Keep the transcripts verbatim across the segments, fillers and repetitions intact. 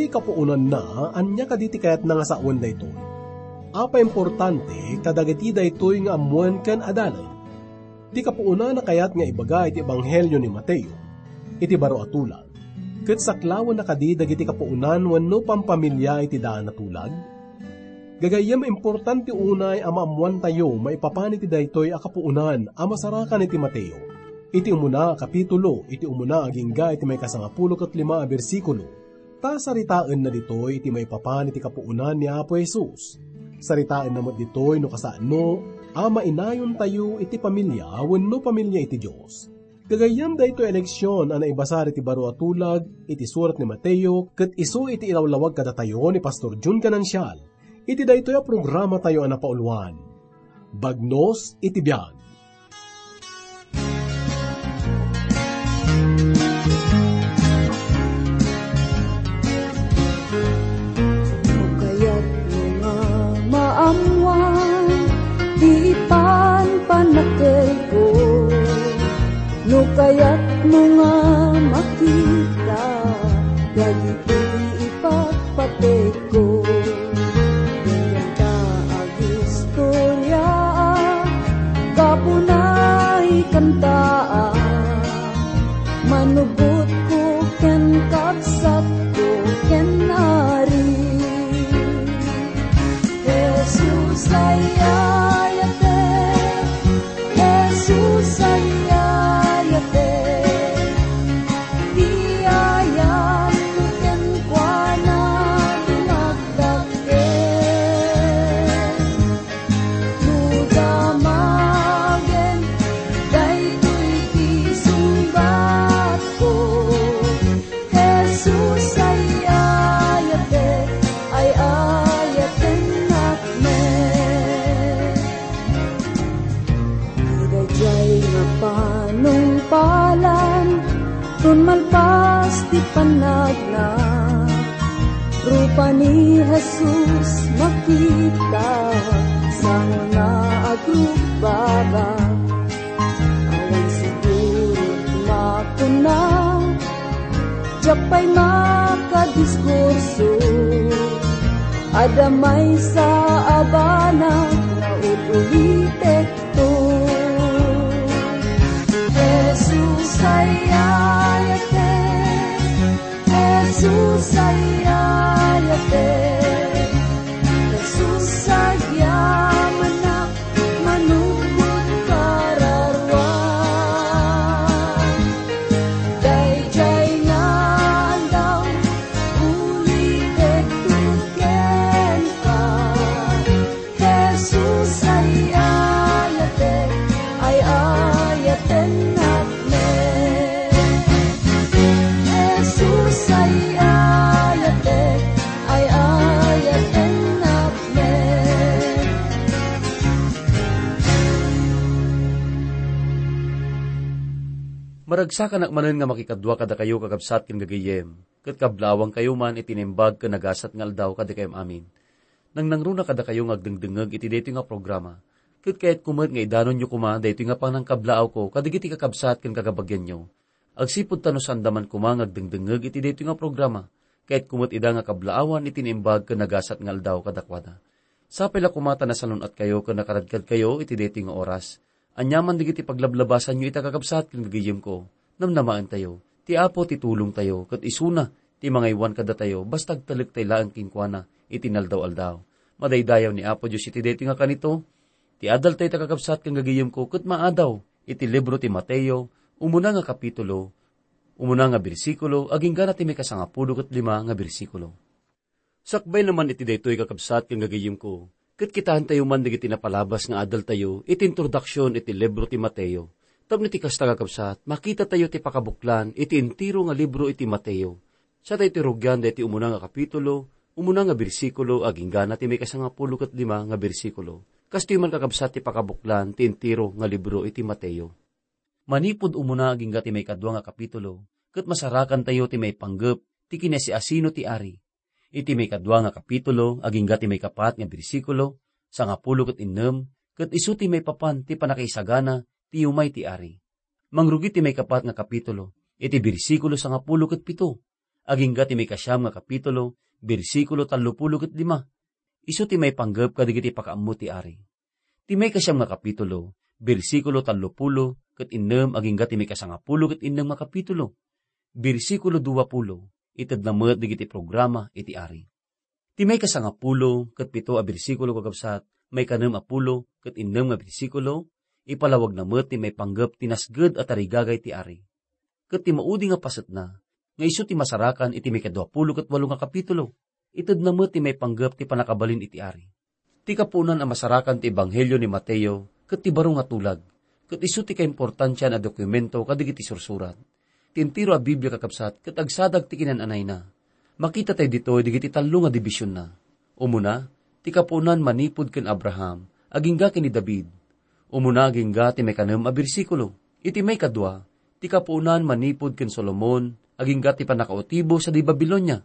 Kapuonanna, ania kadi ti kayatna nga sawen daytoy? Apay importante kadagiti daytoy nga ammoen ken adalan? Ti kapuonana kayat nga ibaga iti ebanghelio ni Mateo, iti baro a tulag, ket saklawenna kadi dagiti kapuonan wenno pampamilia iti daan a tulag? Gagayyem, importante unay a maammoantayo maipapan iti daytoy a kapuonan a masarakan iti Mateo, iti umuna a kapitulo, iti umuna agingga iti maikasangapulo ket lima a bersikulo, ta saritaenna ditoy iti maipapan iti kapuonan ni Apo Jesus. Saritaenna met ditoy no kasano a mainayontayo iti pamilia wenno pamilia iti Dios. Gagayyem, daytoy a leksion a naibasar iti baro a tulag iti surat ni Mateo ket isu iti ilawlawag kadatayo ni Pastor Jun Ganancial iti daytoy a programatayo a napauluan, Bagnos iti Biag. No kayatmo nga maammuan ti ipanpanakelko, no kayatmo nga makita dagiti ipatpateg ko. Diak ta agistorya, gapuna ikantaak. Manubotko ken kabsatko ken Ari. Jesus, ay-ayatek. Jesus, ay-ayatek. Ti ayatko kenkuana, dumagdaggen. No damagen daytoy ti sungbatko, Jesus, ay-ayatek, ay-ayatennak met. Daydiay nga panungpalan, tun malpas ti panagna, rupa ni Jesus makita, sangona agrugbaba. Awan siguro makuna, diak pay makadiskurso. Adda maysa a banag nga ul-ulitek to. Jesus, ay-ayatek. Jesus, ay-ayatek. Jesus, agyamanak, manupot kararuan. Daydiay nga aldaw, ulitek kenka. Jesus, ay-ayatek, ay-ayatennak met. Jesus, ay-ayatek, ay-ayatennak met. Maragsakanak manen nga makikadua kadakayo, kakabsat ken gagayyem, ket kablaawankayo man iti naimbag ken nagasat nga aldaw kadakayem amin. Nangnangruna kadakayo nga agdengdengngeg iti daytoy nga programa, ket kayatko met nga idanonyo koma daytoy nga pannangkablaawko kadagiti kakabsat ken kakabagianyo. Agsipud ta no saanda man koma nga agdengdengngeg iti daytoy nga programa, kayatko met ida nga kablaawan iti naimbag ken nagasat nga aldaw kadakuada. Sapay la koma ta nasalun-atkayo ken nakaradkadkayo iti daytoy nga oras. Aniaman dagiti paglablabasanyo ita, kakabsat ken gagayyemko, namnamaentayo. Ti Apo ti tulongtayo, ket isuna ti mangaywan kadatayo, basta agtalek tay laeng kenkuana iti inaldaw-aldaw. Madaydayaw ni Apo Dios iti daytoy nga kanito, ti adaltayo ita, kakabsat ken gagayyemko, ket maadaw iti libro ti Mateo, umuna nga kapitulo, umuna nga bersikulo, agingga na ti maikasangapulo ket lima nga bersikulo. Sakbayna man iti daytoy, kakabsat ken gagayyemko, ket kitaentayo man dagiti napalabas nga adaltayo iti introduksion iti libro ti Mateo. Tapno iti kasta, kakabsat, makitatayo ti pakabuklan iti entero nga libro iti Mateo. Sa tayo ti rugian daytoy umuna nga kapitulo, umuna nga bersikulo, agingga na ti maikasangapulo ket lima nga bersikulo. Kastoy man, kakabsat, ti pakabuklan ti entero nga libro iti Mateo. Manipud umuna agingga ti maikadua nga kapitulo, ket masarakantayo ti maipanggep ti kinasiasino ti ari. Iti maikadua nga kapitulo, agingga ti maikapat nga bersikulo, sangapulo ket innem, ket isu ti maipapan ti pannakaisagana ti umay ti ari. Mangrugi ti maikapat nga kapitulo, iti bersikulo sangapulo ket pito. agingga ti maikasiam nga kapitulo, bersikulo tallopulo ket lima. Isu ti maipanggep kadagiti pakaammo ti ari. Ti maikasiam nga kapitulo, bersikulo tallopulo ket innem agingga ti maikasangapulo ket innem nga kapitulo, bersikulo duapulo, itedna met dagiti programa iti ari. Ti maikasangapulo ket pito a bersikulo, kakabsat, maikanem a pulo ket innem nga bersikulo, ipalawagna met ti maipanggep ti nasged a tarigagay ti ari. Ket ti maudi nga pasetna, nga isu ti masarakan iti maikadua pulo ket walo nga kapitulo, itedna met ti maipanggep ti pannakabalin iti ari. Ti kapuonan a masarakan ti Ebanghelio ni Mateo ket ti baro nga tulag, ket isu ti kaimportantian a dokumento kadagiti sursurat. Ti entero a Biblia, kakabsat, ket agsadag ti kinan-anayna. Makita tayo ditoy dagiti tallo nga dibisionna. Umuna, ti kapuonan manipud ken Abraham, agingga ken ni David. Umuna agingga ti maikanem a bersikulo. Iti maikadua, ti kapuonan manipud ken Solomon, agingga ti pannakautibo sadi Babilonia.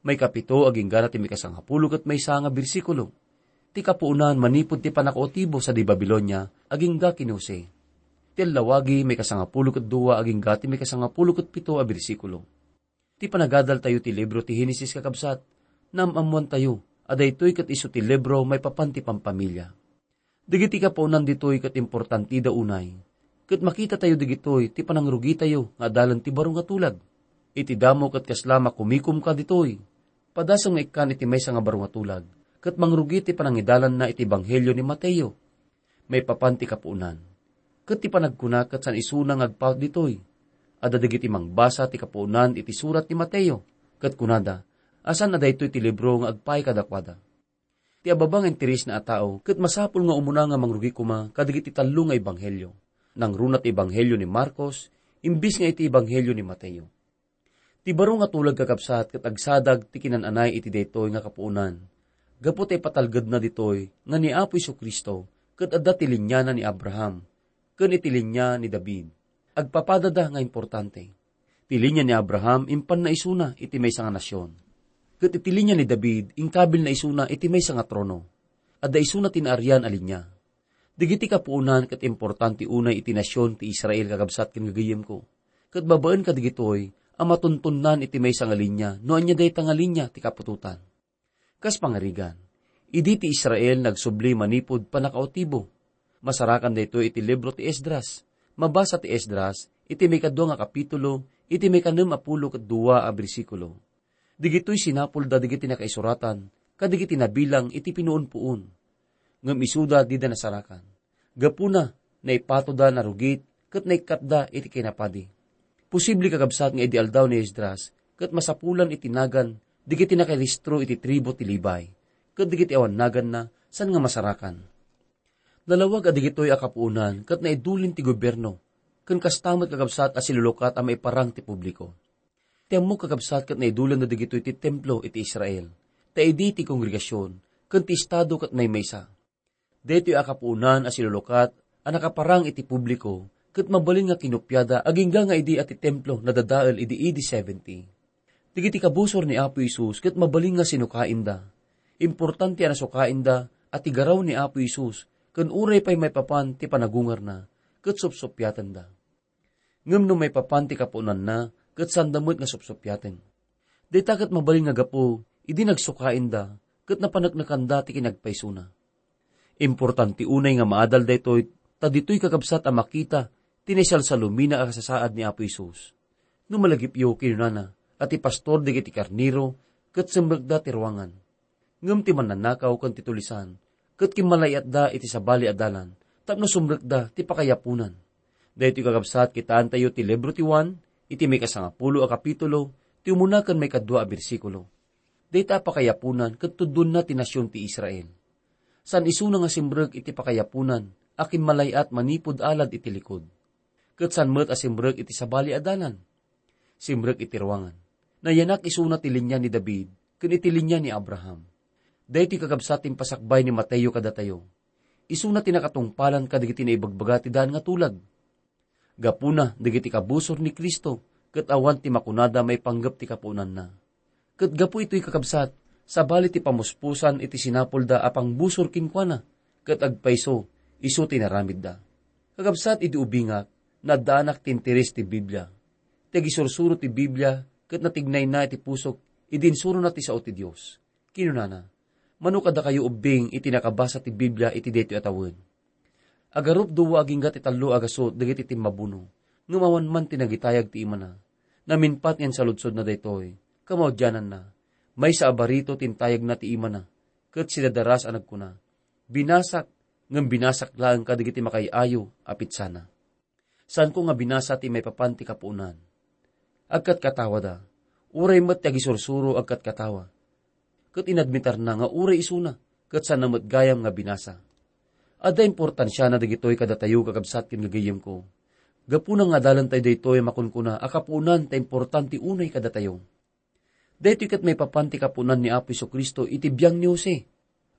Maikapito, aginggana ti maikasangapulo ket maysa nga bersikulo. Ti kapuonan manipud ti pannakautibo sadi Babilonia, agingga ken ni Jose. Ti allawagi, maikasangapulo ket dua, agingga ti maikasangapulo ket pito a bersikulo. Ti panagadaltayo ti libro ti Henesis, kakabsat, naam-ammoantayo a daytoy ket isu ti libro maipapan ti pampamilia. Dagiti kapuonan ditoy ket importantida unay, ket makitatayo dagitoy ti panangrugitayo nga adalan ti baro nga tulag. Iti damo ket kasla makumikomka ditoy, padasem nga ikkan iti maysa nga baro nga tulag, ket mangrugi ti panangidalanna iti Ebanghelio ni Mateo. Maipapan ti kapuonan. Ket ti panagkuna ket saan isuna nga agpaut ditoy. Adda dagiti mangbasa ti kapuonan iti surat ni Mateo, ket kunada a saan a daytoy ti libro nga agpaay kadakuada. Ti ababa nga interesna a tao ket masapul nga umuna nga mangrugi koma kadagiti tallo nga ebanghelio. Nangruna ti ebanghelio ni Marcos, imbes nga iti ebanghelio ni Mateo. Ti baro nga tulag, kakabsat, ket agsadag ti kinan-anay iti daytoy nga kapuonan. Gapu ta ipatalgedna ditoy nga ni Apo Jesu-Cristo ket adda ti liniana ni Abraham ken iti linia ni David. Agpapadada nga importante. Ti linia ni Abraham impanna isuna iti maysa nga nasion. Ket iti linia ni David, inkabilna isuna iti maysa nga trono. Adda isuna ti naarian a linia. Dagiti kapuonan ket importante unay iti nasion ti Israel, kakabsat ken gagayyemko. Ket babaen kadagitoy a matuntonnan iti maysa nga linia no ania dayta nga linia ti kaputotan. Kas pangarigan, idi ti Israel nagsubli manipud pannakautibo. Masarakan daytoy iti libro ti Esdras. Mabasa ti Esdras iti maikadua nga kapitulo, iti maikanem a pulo ket dua a bersikulo. Dagitoy sinapulda dagiti nakaisuratan kadagiti nabilang iti pinuon-puon. Ngem isuda dida nasarakan. Gapuna, naipatoda, narugit, ket naikkatda iti kinapadi. Posible, kakabsat, nga idi aldaw ni Esdras, ket masapulan iti nagan dagiti nakairehistro iti tribu ti Levi, ket dagiti awan naganna, saan nga masarakan. Nalawag a dagitoy a kapuonan ket naidulin ti gobierno, ken kasta met, kakabsat, a silulukat a maiparang ti publiko. Ti ammok, kakabsat, ket naidulanda dagitoy ti templo iti Israel, ta idi ti kongregasion ken ti estado ket maymaysa. Daytoy a kapuonan a silulukat a nakaparang iti publiko ket mabalin nga kinupiada agingga nga idi a ti templo nadadael idi A D seventy. Dagiti kabusor ni Apo Jesus ket mabalin nga sinukainda. Importante a nasukainda a ti garaw ni Apo Jesus ken uray pay maipapan ti panagungarna ket supsuppiatenda. Ngem no maipapan ti kapuonanna, ket saanda met nga supsuppiaten. Dayta ket mabalin nga gapu idi nagsukainda ket napaneknekanda ti kinagpaysona. Importante unay nga maadal daytoy, ta ditoy, kakabsat, a makita ti naisalsalumina a kasasaad ni Apo Jesus. No malagipyo, kinunana, a ti pastor dagiti karnero ket simrekda ti ruangan. Ngem ti mannanakaw ken ti tulisan ket kimmalayiatda iti sabali a dalan tapno sumrekda ti pakayapunan. Daytoy, kakabsat, kitaantayo ti libro ti Juan iti maikasangapulo a kapitulo, ti umuna ken maikadua a bersikulo. Dayta a pakayapunan ket tudonna ti nasion ti Israel. Saan isuna nga simrek iti pakayapunan a kimmalayiat manipud alad iti likud. Ket saan met a simrek iti sabali a dalan. Simrek iti ruangan. Nayanak isuna ti linia ni David ken iti linia ni Abraham. Daytoy, kakabsat, ti impasakbay ni Mateo kadatayo. Isuna ti nakatungpalan kadagiti naibagbaga ti daan nga tulag. Gapuna, dagiti kabusor ni Cristo ket awan ti makunada maipanggep ti kapuonanna. Ket gapu itoy, kakabsat, sabali ti pamuspusan iti sinapulda a pangbusor kenkuana, ket agpayso, isu ti inaramidda. Kakabsat, idi ubingak, naddaanak ti interes ti Biblia. Ti agisursuro ti Biblia ket natignayna iti pusok idi insurona ti sao ti Dios. Kinunana, "Mano kadakayo ubbing iti nakabasa ti Biblia iti daytoy a tawen? Agarup dua agingga ti tallo a gasut dagiti timmabuno, ngem awan man ti nagitayag ti imana. Namimpatngen saludsodna daytoy, kamaudiananna, maysa a barito ti intayagna ti imana, ket sidadaras a nagkuna, 'Binasak, ngem binasak laeng kadagiti makaay-ayo a pitsana.'" Saanko nga binasa ti maipapan ti kapuonan. Agkatkatawada, uray met ti agisursuro agkatkatawa. Ket inadmitarna nga uray isuna, ket saanna met gayam nga binasa. Adda importansiana dagitoy kadatayo, kakabsat ken gagayyemko. Gapuna nga adalentayo daytoy a makunkuna a kapuonan ta importante unay kadatayo. Daytoy ket maipapan ti kapuonan ni Apo Jesu-Cristo iti biang ni Jose.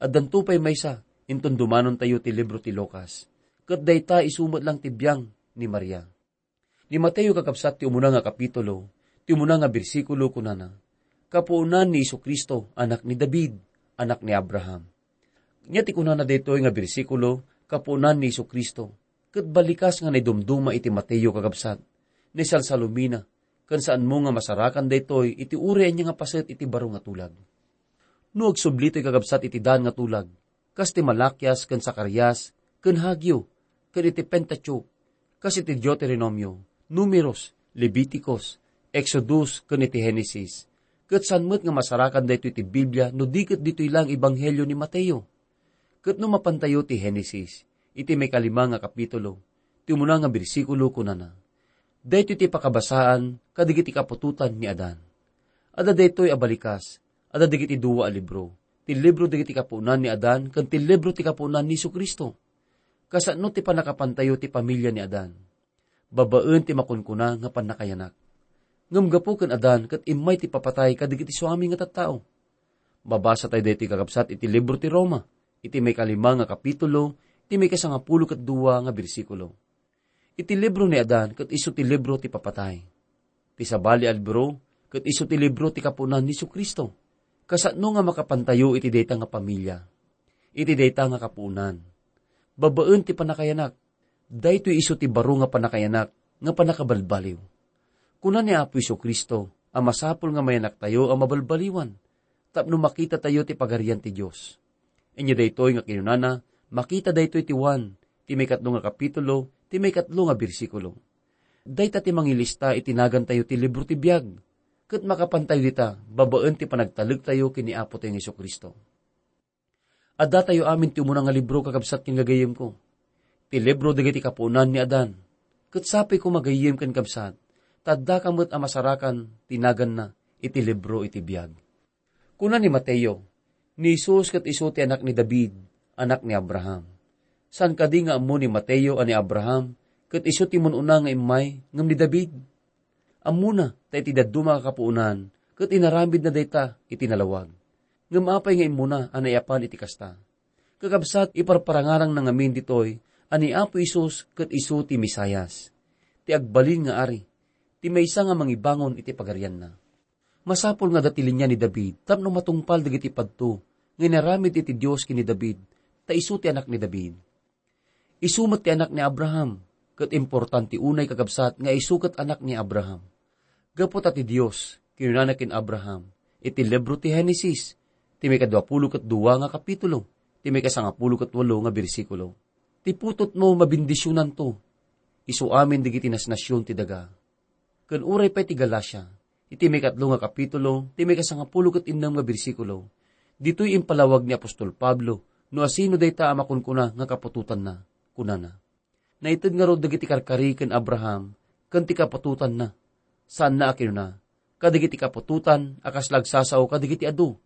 Addanto pay maysa, inton dumanontayo ti libro ti Lucas. Ket dayta isu met lang ti biang ni Maria. Ni Mateo, kakabsat, ti umuna nga kapitulo, ti umuna nga bersikulo, kunana, "Kapuonan ni Jesu-Cristo, anak ni David, anak ni Abraham." Nia ti kunana daytoy nga bersikulo, "Kapuonan ni Jesu-Cristo," ket balikas nga naidumduma iti Mateo, kakabsat, naisalsalumina, ken saanmo nga masarakan daytoy iti uray ania nga paset iti baro nga tulag. No agsubli toy, kakabsat, iti daan nga tulag, kas ti Malakias ken Zacarias ken Hageo, ken iti Pentateuch, kas iti Deuteronomio, Numeros, Leviticos, Exodus, ken iti Genesis, ket saan met nga masarakan daytoy iti Biblia no di ket ditoy lang Ebanghelio ni Mateo. Ket no mapantayo ti Genesis, iti maikalima nga kapitulo, ti umuna nga bersikulo, kunana, "Daytoy ti pakabasaan kadagiti kaputotan ni Adan." Adda daytoy a balikas, adda dagiti dua a libro, ti libro dagiti kapuonan ni Adan ken ti libro ti kapuonan ni Jesu-Cristo. Kasano ti pannakapantayo ti pamilia ni Adan? Babaen ti makunkuna nga pannakayanak. Ngem gapu ken Adan ket immay ti papatay kadagiti suami nga tattao. Mabasa tayo daytoy, kakabsat, iti libro ti Roma, iti maikalima nga kapitulo, iti maikasangapulo ket dua nga bersikulo. Iti libro ni Adan ket isu ti libro ti papatay. Ti sabali a libro ket isu ti libro ti kapuonan ni Jesu-Cristo. Kasano nga makapantayo iti dayta nga pamilia, iti dayta nga kapuonan? Babaen ti pannakayanak, daytoy isu ti baro nga pannakayanak nga pannakabalbaliw. Kuna ni Apo Jesu-Cristo a masapul nga mayanaktayo a mabalbaliwan tapno makitatayo ti Pagarian ti Dios. Inya daytoy nga kinunana, makita daytoy ti Juan, ti maikatlo nga kapitulo, ti maikatlo nga bersikulo. Dayta ti mangilista iti nagantayo ti libro ti biag, ket makapantayo dita babaen ti panagtalektayo ken ni Apotayo nga Jesu-Cristo. Addatayo amin ti umuna nga libro, kakabsat ken gagayyemko, ti libro dagiti kapuonan ni Adan. Ket sapay koma, gayyem ken kabsat, ta addaka met a masarakan ti naganna iti libro iti biag. Kuna ni Mateo, ni Jesus ket isu ti anak ni David, anak ni Abraham. Saan kadi nga ammo ni Mateo a ni Abraham ket isu ti mun-una nga immay ngem ni David? Ammona ta iti dadduma a kapuonan ket inaramidna dayta iti nalawag. Ngem apay nga immuna a naiyapan iti kasta? Kakabsat, iparparangarangna ngamin ditoy a ni Apo Jesus ket isu ti Mesias, ti agbalin nga Ari, ti maysa nga mangibangon iti Pagarianna. Masapul nga adda ti linia ni David tapno matungpal dagiti padto nga inaramid iti Dios ken ni David, ta isu ti anak ni David. Isu met ti anak ni Abraham, ket importante unay, kakabsat, nga isu ket anak ni Abraham. Gapu ta ti Dios kinunana ken Abraham iti libro ti Genesis, ti maikadua pulo ket dua nga kapitulo, ti maikasangapulo ket walo nga bersikulo, "Ti putotmo mabendisionanto, isu amin dagiti nasnasion ti daga." Ken uray pay ti Galacia, iti maikatlo nga kapitulo, ti maikasangapulo ket innem nga bersikulo, ditoy impalawag ni apostol Pablo no asino dayta a makunkuna nga kaputotanna. Kunana, "Naited ngarud dagiti karkari ken Abraham ken ti kaputotanna." Saanna a kinuna, "Kadagiti kaputotan a kasla agsasao kadagiti adu,"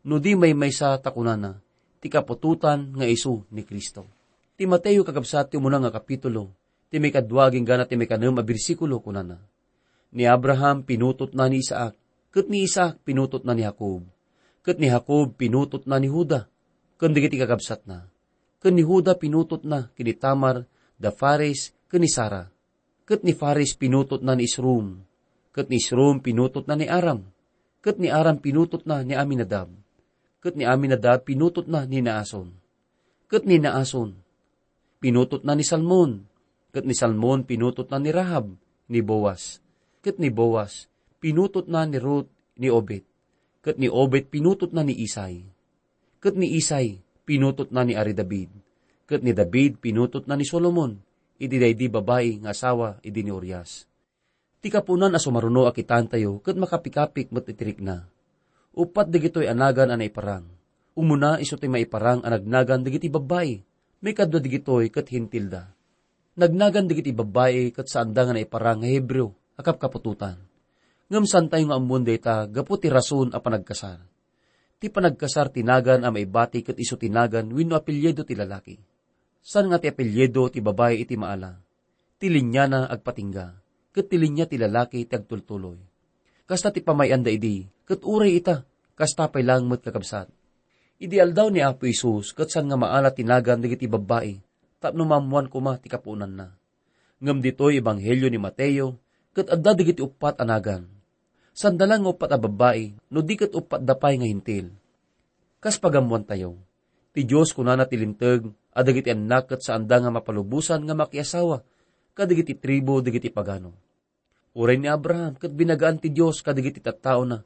no di maymaysa ta kunana, "Ti kaputotan nga isu ni Cristo." Ti Mateo, kakabsat, ti umuna nga kapitulo, ti maikadua agingga ti maikanem a bersikulo, kunana, "Ni Abraham pinutotna ni Isaac, ket ni Isaac pinutotna ni Jacob, ket ni Jacob pinutotna ni Juda, ken dagiti kakabsatna, ken ni Juda pinutotna ken ni Tamar da Fares ken ni Sara, ket ni Fares pinutotna ni Esrom, ket ni Esrom pinutotna ni Aram, ket ni Aram pinutotna ni Aminadab, ket ni Aminadab pinutotna ni Naason, ket ni Naason pinutotna ni Salmon, ket ni Salmon pinutotna ni Rahab ni Boaz, ket ni Boaz Pinutotna ni Ruth ni Obed, ket ni Obed pinutotna ni Isai, ket ni Isai pinutotna ni Ari David, ket ni David pinutotna ni Solomon iti daydi babai nga asawa idi ni Urias. Ti kapuonan a sumaruno a kitaentayo ket makapikapik met iti rikna. Uppat dagitoy a nagan a naiparang. Umuna, isu ti maiparang a nagnagan dagiti babbai. Maikadua dagitoy ket Hentilda. Nagnagan dagiti babbai ket saanda nga naiparang nga Hebreo a kapkaputotan. Ngem saantayo nga ammoen dayta gapu ti rason a panagkasar. Ti panagkasar ti nagan a maibati ket isu ti nagan wenno apelyido ti lalaki. Saan nga ti apelyido ti babai iti maala. Ti liniana agpatingga, ket ti linia ti lalaki ti agtultuloy. Kasta ti pamay-anda idi, ket uray ita, kasta pay laeng met kakabsat. Idi aldaw ni Apo Jesus, ket saan nga maala ti nagan dagiti babbai, tapno maammoan koma ti kapuonanna. Ngem ditoy ebanghelio ni Mateo, ket adda dagiti uppat a nagan. Saanda laeng nga uppat a babbai, no di ket uppatda pay nga Hentil. Kas pagammoantayo, ti Dios kunana ti Linteg a dagiti annak ket saanda nga mapalubosan nga makiasawa kadagiti tribu dagiti pagano. Uray ni Abraham ket binagaan ti Dios kadagiti tattaona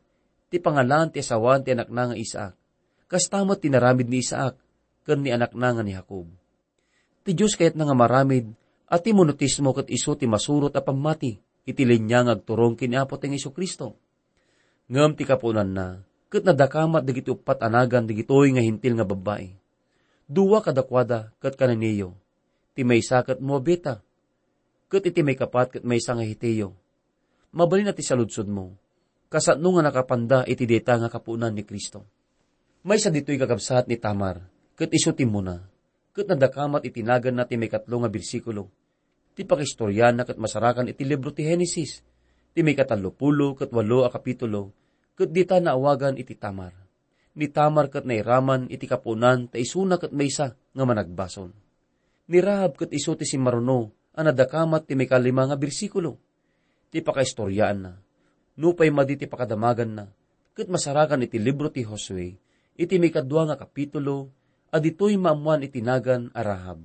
ti pangalan ti asawaan ti anakna nga Isaac. Kasta met ti naramid ni Isaac ken ni anakna nga ni Jacob. Ti Dios kayatna nga maramid a ti monotismo ket isu ti masurot a pammati iti linia nga agturong ken ni Apo Tayo nga Jesu-Cristo. Ngem ti kapuonanna, ket nadakamat dagiti uppat a nagan dagitoy nga Hentil nga babbai. Dua kadakuada ket Cananeo, ti maysa ket Moabita, ket iti maikapat ket maysa nga Heteo. Mabalin a ti saludsodmo, kasano nga nakapanda iti dayta nga kapuonan ni Cristo? Maysa ditoy kakabsat ni Tamar, ket isu ti immuna, ket nadakamat iti naganna ti maikatlo nga bersikulo. Ti pakaistoriaanna ket masarakan iti libro ti Genesis, ti maikatallo pulo ket walo a kapitulo, ket dita naawagan iti Tamar. Ni Tamar ket nairaman iti kapuonan ta isuna ket maysa nga managbasol. Ni Rahab ket isu ti simmaruno a nadakamat ti maikalima nga bersikulo. Ti pakaistoriaanna, nupay madi ti pakadamaganna, ket masarakan iti libro ti Josue, iti maikadua nga kapitulo, a ditoy maammoan iti nagan a Rahab.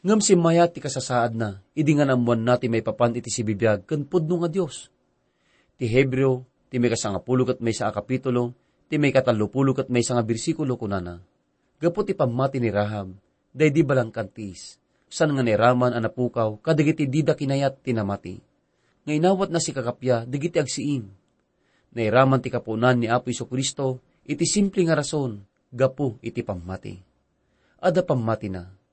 Ngem simmayat ti kasasaadna idi nga naammoanna ti maipapan iti sibibiag ken pudno nga Dios. Ti Hebreo, ti maikasangapulo ket maysa a kapitulo, ti maikatallopulo ket maysa nga bersikulo, kunana, gapu ti pammati ni Rahab, daydi balangkan ti is, saan nga nairaman a napukaw kadagiti dida kinayat ti namati, nga inawatna sikakapia dagiti agsiing. Nairaman ti kapuonan ni Apo Jesu-Cristo iti simple nga rason gapu iti pammati. Adda pammatina.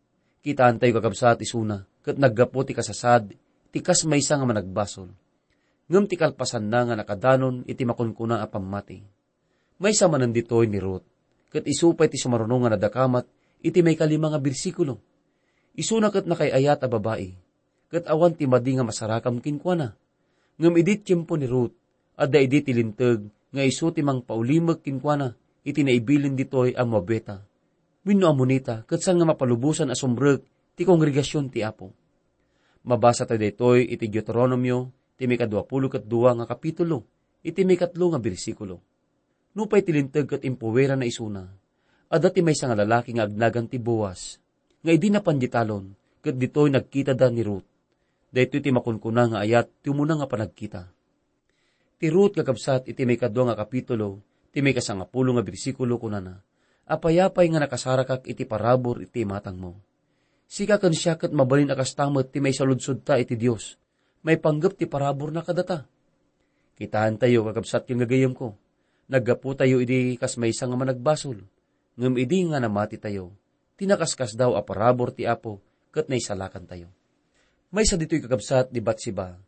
Kitaentayo, kakabsat, isuna ket naggapu ti kasasaad ti kas maysa nga managbasol. Ngem ti kalpasanna nga nakadanon iti makunkuna a pammati. Maysa manen ditoy ni Ruth, ket isu pay ti sumaruno nga nadakamat iti maikalima nga bersikulo. Isuna ket nakaay-ayat a babai, ket awan ti madi nga masarakam kenkuana. Ngem idi tiempo ni Ruth, adda idi ti linteg nga isu ti mangpaulimek kenkuana iti naibilin ditoy a Moabita wenno Amonita, ket saan nga mapalubosan a sumrek ti kongregasion ti Apo. Mabasatayo daytoy iti Deuteronomio, ti maikaduapulo ket dua nga kapitulo, iti maikatlo nga bersikulo. Nupay ti linteg ket impuwerana isuna, adda ti maysa nga lalaki nga agnagan ti Boaz, nga idi napan diay talon, ket ditoy nagkitada ni Ruth. Daytoy ti makunkuna nga ayat ti umuna nga panagkita. Ti Ruth, kakabsat, iti maikadua nga kapitulo, ti maikasangapulo nga bersikulo, kunana, "Apay-apay nga nakasarakak iti parabur iti imatangmo. Sika ken siak ket mabalin a kasta met ti maisaludsodta iti Dios, maipanggep ti paraburna kadata." Kitaentayo, kakabsat ken gagayemko, naggaputayo idi kas maysa nga managbasol, ngem idi nga namatitayo, ti nakaskasdaaw a parabur ti Apo ket naisalakantayo. Maysa ditoy, kakabsat, ni Batseba,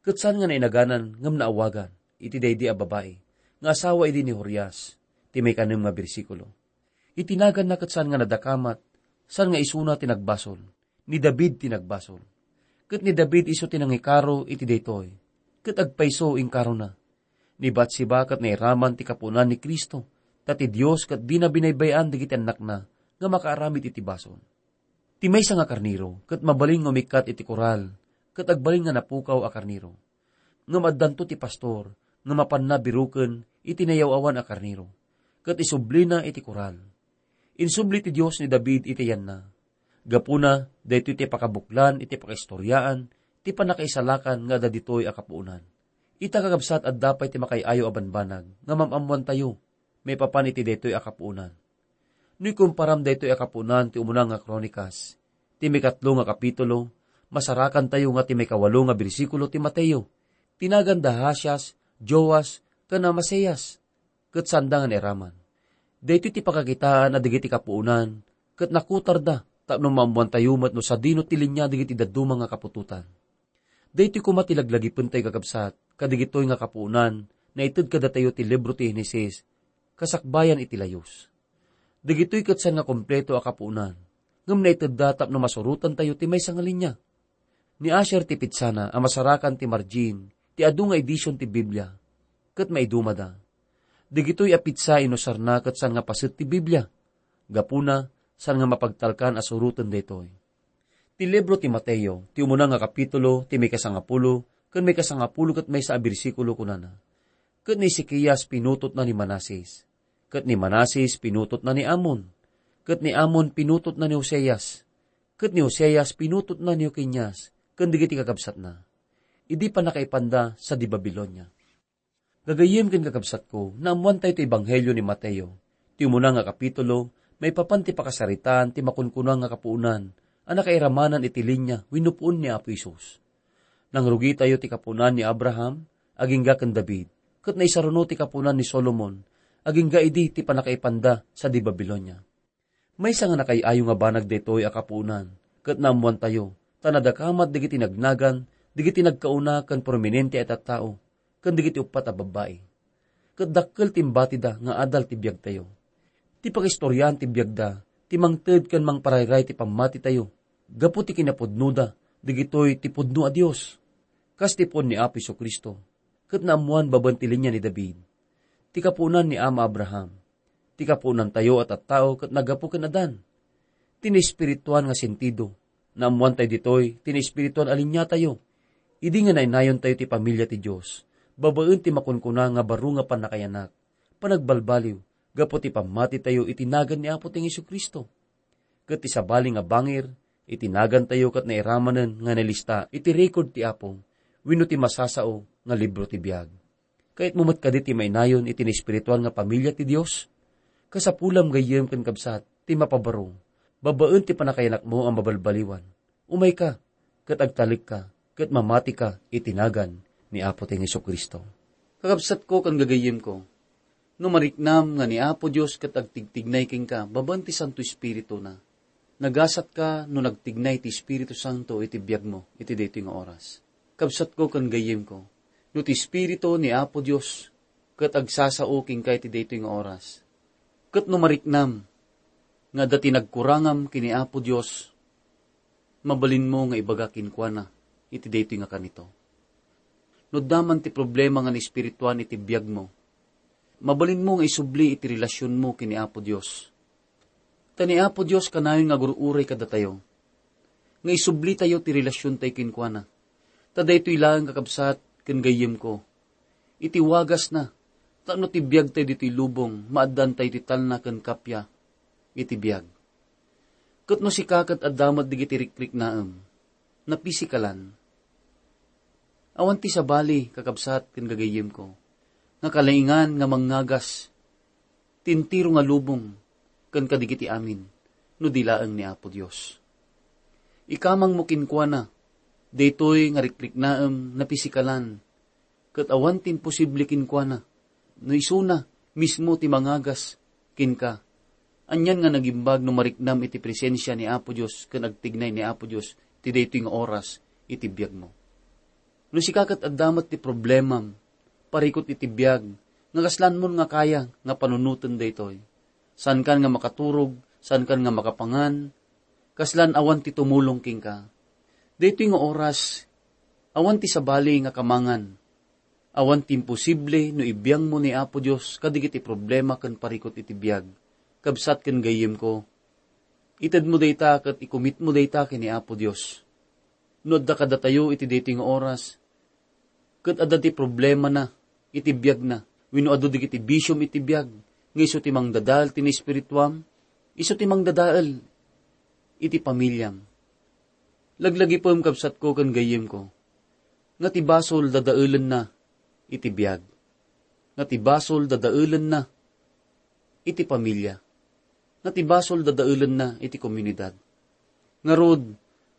ket saan nga nainaganan ngem naawagan iti daydi a babai nga asawa idi ni Urias, ti maikanem nga bersikulo. Iti naganna ket saan nga nadakamat, saan nga isuna ti nagbasol, ni David ti nagbasol. Ket ni David isu ti nangikaro iti daytoy, ket agpayso inkarona. Ni Batseba ket nairaman ti kapuonan ni Cristo, ta ti Dios ket dina binaybay-an dagiti annakna nga makaaramid iti basol. Ti maysa nga karnero ket mabalin nga umikkat iti koral, ket agbalin nga napukaw a karnero. Ngem addanto ti pastor nga mapanna biroken iti nayaw-awan a karnero, ket isublina iti koral. Insubli ti Dios ni David iti yanna. Gapuna, daytoy ti pakabuklan iti pakaistoriaan ti pannakaisalakan nga adda ditoy a kapuonan. Ita, kakabsat, adda pay ti makaay-ayo a banbanag nga mam-ammoantayo maipapan iti daytoy a kapuonan. No ikumparam daytoy a kapuonan ti umuna nga Kronikas, ti maikatlo nga kapitulo, masarakantayo nga ti maikawalo nga bersikulo ti Mateo, ti naganda Hasias, Joas, ken Amasias, ket saanda nga nairaman. Daytoy ti pakakitaan a dagiti kapuonan ket nakutarda tapno maammoantayo met no sadino ti linia dagiti dadduma nga kaputotan. Daytoy koma ti laglagipentayo, kakabsat, kadagitoy nga kapuonan, naited kadatayo ti libro ti Henesis, kasakbayan iti layus. Dagitoy ket saan nga kompleto a kapuonan, ngem naitedda tapno masurotantayo ti maysa nga linia. Ni Asher ti pitsana a masarakan ti margin ti adu nga edision ti Biblia, ket maidumada. Dagitoy a pitsa inusarna ket saan nga paset ti Biblia. Gapuna, saan nga mapagtalkan a suroten daytoy. Ti libro ti Mateo, ti umuna nga kapitulo, ti maikasangapulo, ken maikasangapulo ket maysa a bersikulo, kunana, "Ket ni Ezekias pinutotna ni Manases, ket ni Manases pinutotna ni Amon, ket ni Amon pinutotna ni Oseas, ket ni Oseas pinutotna ni Jeconias, ken dagiti kakabsatna, idi pannakaipanda sadi Babilonia." Gagayyem ken kakabsatko, naammoantayo ti Ebanghelio ni Mateo, ti umuna nga kapitulo, maipapan ti pakasaritaan ti makunkuna nga kapuonan a nakairamanan iti linia wenno puon ni Apo Jesus. Nangrugitayo ti kapuonan ni Abraham agingga ken David, ket naisaruno ti kapuonan ni Solomon agingga idi ti pannakaipanda sadi Babilonia. Maysa nga nakaay-ayo nga banag daytoy a kapuonan, ket naammoantayo, ta nadakamat dagiti nagnagan, dagiti nagkauna ken prominente a tattao, ken dagiti uppat a babbai. Ket dakkel ti imbatida nga adal ti biagtayo. Ti pangistoriaan ti biagda, ti mangted ken mangparayray ti pammatitayo, gapu ti kinapudnoda, dagitoy ti pudno a Dios, kas ti puon ni Apo Jesu-Cristo, ket naammoan babaen ti linia ni David, ti kapuonan ni Ama Abraham. Ti kapuonantayo a tattao ket naggapu ken Adan. Ti naespirituan nga sentido, naammoantayo ditoy ti naespirituan a liniatayo. Idi nga nainayontayo ti pamilia ti Dios, babaen ti makunkuna nga baro nga pannakayanak, panagbalbaliw, gapu ti pammatitayo iti nagan ni Apo ti Jesu-Cristo. Ket ti sabali nga bangir iti nagantayo ket nairamanen nga nailista iti record ti Apo wenno ti masasao nga libro ti biag. Kayatmo met kadi ti mainayon iti naespirituan nga pamilia ti Dios? Kasapulam, gayyem ken kabsat, ti mapabaro, babaen ti pannakayanakmo a mabalbaliwan. Umayka, ket agtalekka, ket mamatika iti nagan ni Apo ti Jesu-Cristo. Kakabsatko ken gagayyemko, no mariknam nga ni Apo Dios ket agtigtignay kenka babaen ti Santo Espirituna, nagasatka no nagtignay ti Espiritu Santo iti biagmo iti daytoy nga oras. Kabsatko ken gayyemko, no ti Espiritu ni Apo Dios ket agsasao kenka iti daytoy nga oras, ket no mariknam nga adda ti nagkurangam ken ni Apo Dios, mabalinmo nga ibaga kenkuana iti daytoy nga kanito. No adda man ti problema nga naespirituan iti biagmo, mabalinmo nga isubli iti relasionmo ken ni Apo Dios. Ta ni Apo Dios kanayon nga agur-uray kadatayo, nga isublitayo ti relasiontayo kenkuana. Ta daytoy laeng, kakabsat ken gayyemko, iti wagasna, tapno ti biagtayo ditoy lubong, maaddantayo ti talna ken kappia iti biag. Ket no sika ket adda met dagiti rikriknaem, napisikalan, awan ti sabali, kakabsat ken gagayyemko, nga kalaingan nga mangngagas ti entero nga lubong ken kadagiti amin no di laeng ni Apo Dios. Ikamangmo kenkuana daytoy nga rikriknaem napisikalan, ket awan ti imposible kenkuana no isuna mismo ti mangagas kenka. Anian nga nagimbag no mariknam iti presensia ni Apo Dios ken agtignay ni Apo Dios ti daytoy nga oras iti biagmo. No sika ket adda met ti problemam, parikut iti biag, nga kaslanmon nga kaya nga panunoten daytoy. Saankan nga makaturog, saankan nga makapangan, kaslan awan ti tumulong kenka. Daytoy nga oras, awan ti sabali nga kamangan. Awan ti imposible no ibiangmo ni Apo Dios kadagiti problema ken parikut iti biag. Kabsat ken gayyemko, itedmo dayta ket ikumitmo dayta ken ni Apo Dios. No adda kadatayo iti daytoy nga oras, ket adda ti problemana iti biagna, wenno adu dagiti bisiom iti biag, nga isu ti mangdadael ti naespirituam, isu ti mangdadael iti pamiliam. Laglagipem, kabsatko ken gayyemko, nga ti basol dadaelenna iti biag, nga ti basol dadaelenna iti pamilia, nga ti basol dadaelenna iti komunidad. Ngarud,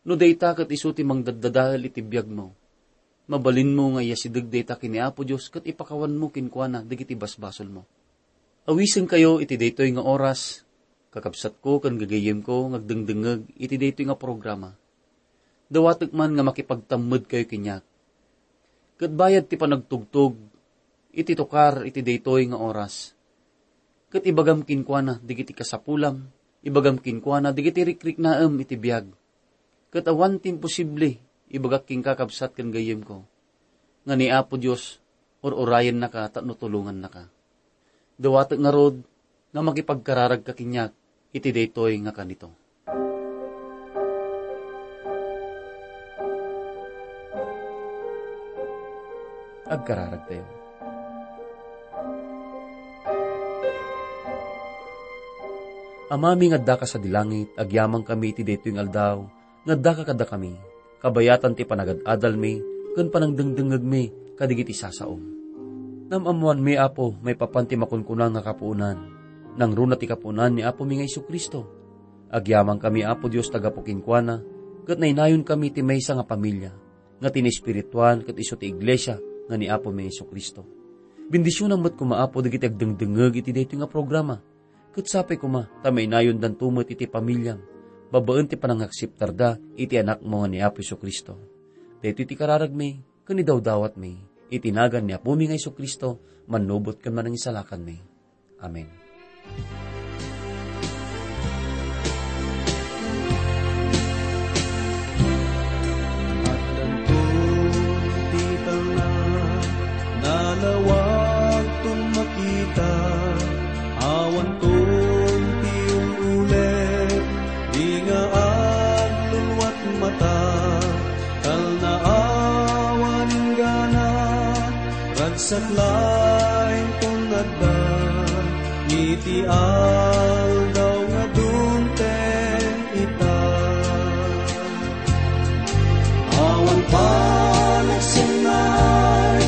no dayta ket isu ti mangdaddadael iti biagmo, mabalinmo nga iyasideg dayta ken ni Apo Dios ket ipakawanmo kenkuana dagiti basbasolmo. Awisenkayo iti daytoy nga oras, kakabsatko ken gagayyemko nga agdengdengngeg iti daytoy nga programa. Dawatek man nga makipagtammedkayo kaniak. Ket bayat ti panagtugtog iti tukar iti daytoy nga oras. Ket ibagam kenkuana dagiti kasapulam, ibagam kenkuana dagiti rikriknaem iti biag. Ket awan ti imposible, ibagak kenka, kabsat ken gayyemko, nga ni Apo Dios ur-urayennaka tapno tulongannaka. Dawatek ngarud nga makipagkararagka kaniak iti daytoy nga kanito. Agkararagtayo. Amami nga addaka sadi langit, agyamankami iti daytoy nga aldaw, nga addaka kadakami. Kabayatan ti panagad-adalmi ken panangdengdengngegmi kadagiti sasaom. Naam-ammoanmi, Apo, maipapan ti makunkuna nga kapuonan. Nangruna ti kapuonan ni Apomi nga Jesu-Cristo. Agyamankami, Apo Dios, ta gapu kenkuana, ket nainayonkami ti maysa nga pamilia, nga ti naespirituan ket isu ti iglesia nga ni Apomi nga Jesu-Cristo. Bendisionam met koma, Apo, dagiti agdengdengngeg iti daytoy nga programa. Ket sapay koma ta mainayondanto met iti pamiliam, babaen ti panangakseptarda iti Anakmo nga ni Apo Jesu-Cristo. Daytoy ti kararagmi ken idawdawatmi iti nagan ni Apomi nga Jesu-Cristo, mannubot ken manangisalakanmi. Amen. Addanton ti talna, nalawagton makita, awanton ti ul-ulep, di nga agluluat mata, talna awan inggana, ragsak laeng ton adda, iti aldaw nga dumteng ita. Awan panagsennaay,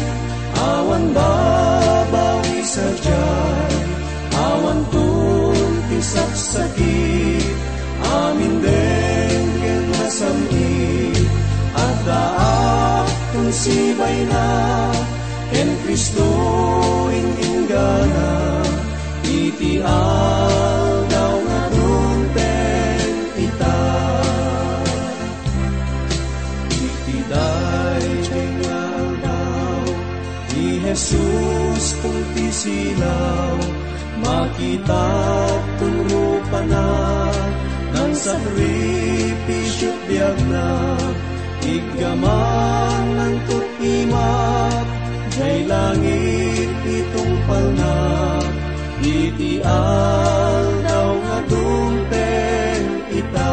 awan babawi sadiay, awanton ti saksakit, amin denggen nga sam-it, addaak ton sibayna, ken Cristo in-inggana, iti aldaw nga dumteng ita. Iti daytoy nga aldaw, ni Jesus ton ti silaw, makitak ton rupana, nangsakripisio ti biagna, iggamananto imak, jay langit ti tungpalna, iti aldaw nga dumteng ita.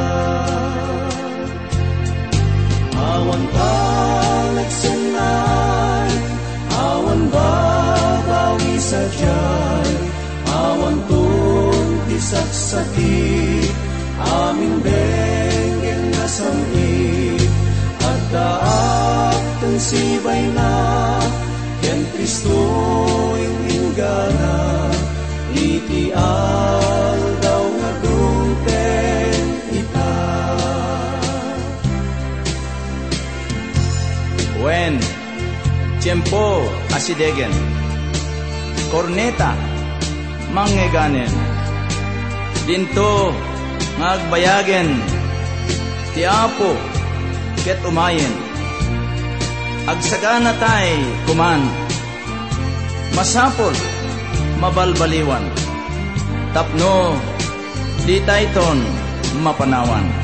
Awan panagsennaay, awan babawi sadiay, awanton ti saksakit, amin denggen nga sam-it, addaak ton sibayna, ken Cristo in-inggana, iti aldaw nga dumteng ita. Wen, tiempo a sidegen. Korneta, manngeganen. Dinto nga agbayagen ti Apo ket umayen. Agsaganatay koman. Masapul, mabalbaliwan, tapno ditayton mapanawan.